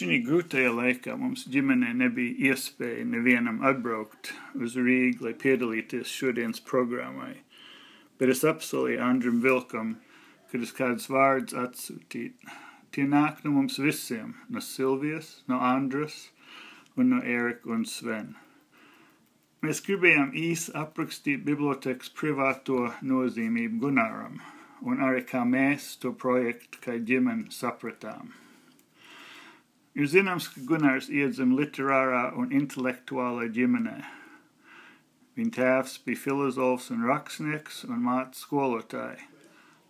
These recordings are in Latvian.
Šī grūtajā laikā mums ģimenē nebija iespēja nevienam atbraukt uz Rīgu, lai piedalīties šodienas programmai, bet es apsolīju Andrim Vilkam, kad es kādus vārdus atsūtītu. Tie nāk no mums visiem, no Silvijas, no Andras un no Erika un Sven. Mēs gribējām īsi aprakstīt bibliotekas privāto nozīmību Gunaram, un arī kā mēs to projektu kā ģimeni sapratām. Ir zināms, ka Gunārs iedzima literārā un intelektuālā ģimenē. Viņa tēvs bija filozofs un rakstnieks un māte skolotāja.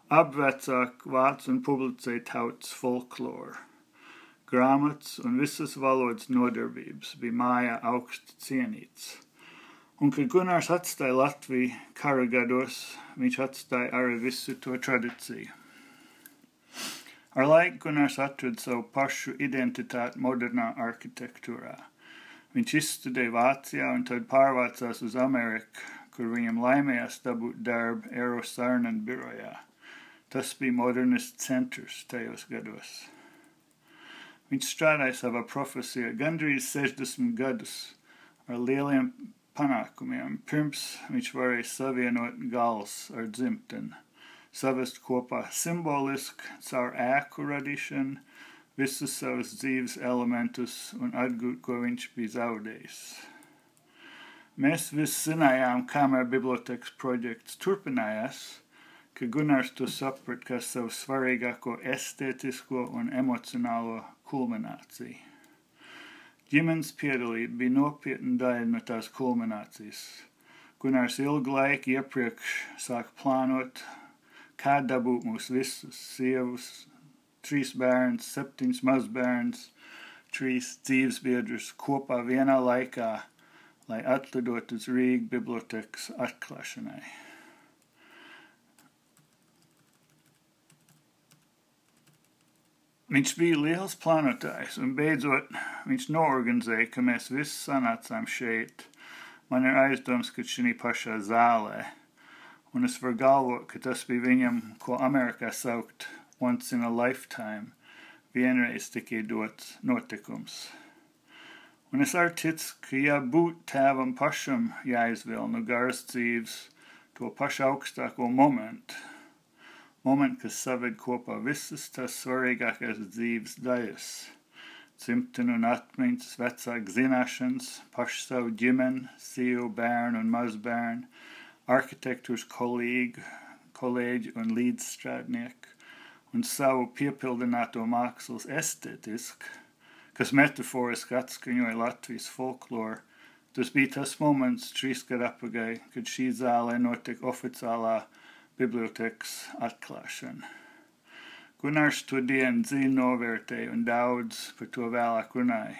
Abi vecāki vāc un publicēja tautas folkloru. Grāmatas un visas valodas nodarbības bija mājā augsti cienīts. Un, kad Gunārs atstāja Latviju kara gados, viņš atstāja arī visu to tradīciju. Ar laiku Gunārs atrada savu pašu identitāti modernā arhitektūrā. Viņš izstudēja Vācijā un tad pārvācās uz Ameriku, kur viņam laimējās dabūt darbu Eero Saarinen birojā. Tas bija modernists centrs tajos gados. Viņš strādāja savā profesijā gandrīz 60 gadus ar lieliem panākumiem, pirms viņš varēja savienot gals ar dzimteni. Savest kopā simboliski caur ēku radīšanu, visus savus dzīves elementus un atgūt, ko viņš bija zaudējis. Mēs visi zinājām, kamēr bibliotekas projekts turpinājās, ka Gunārs to saprat kā savu svarīgāko estētisko un emocionālo kulmināciju. Ģimenes piedalība bija nopietna daļa no tās kulminācijas. Gunārs ilgu laiku iepriekš sāka plānot, kā dabūt mūs visus, sievus, 3 bērns, 7 mazbērns, 3 dzīvesbiedrus kopā vienā laikā, lai atlidot uz Rīgas bibliotekas atklāšanai. Viņš bija liels plānotājs, un beidzot viņš noorganizēja, ka mēs visi sanācām šeit. Man ir aizdoms, ka šī pašā zālē. Un es varu galvot, ka tas bija viņam, ko Amerikā saukt once in a lifetime, vienreiz tikai dots notikums. Un es arī ticu, ka ja būtu tēvam pašam jāizvēl no garas dzīves to pašu augstāko momentu, kas saved kopā visas tās svarīgākās dzīves daļas, dzimteni un atmiņas, vecāku zināšanas, pašu savu ģimeni, sievu, bērnu un mazbērnu, arhitektūras kolēģi un līdzstrādnieki un savu piepildināto mākslas estētisku, kas metaforiski atskaņoja Latvijas folkloru. Tas bija tas moments 3 gadu atpakaļ, kad šī zālē notika oficiālā bibliotekas atklāšana. Gunārs to dienu dziļi novērtēja un daudz par to vēlāk runāja.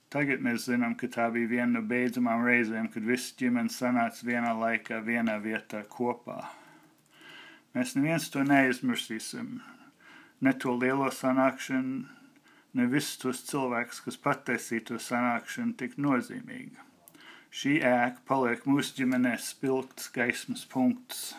Tagad mēs zinām, ka tā bija viena no beidzamām reizēm, kad visi ģimenes sanāca vienā laikā, vienā vietā kopā. Mēs neviens to neizmirsīsim, ne to lielo sanākšanu, ne visus tos cilvēkus, kas pataisīja to sanākšanu tik nozīmīgi. Šī ēka paliek mūsu ģimenē spilgts gaismas punkts.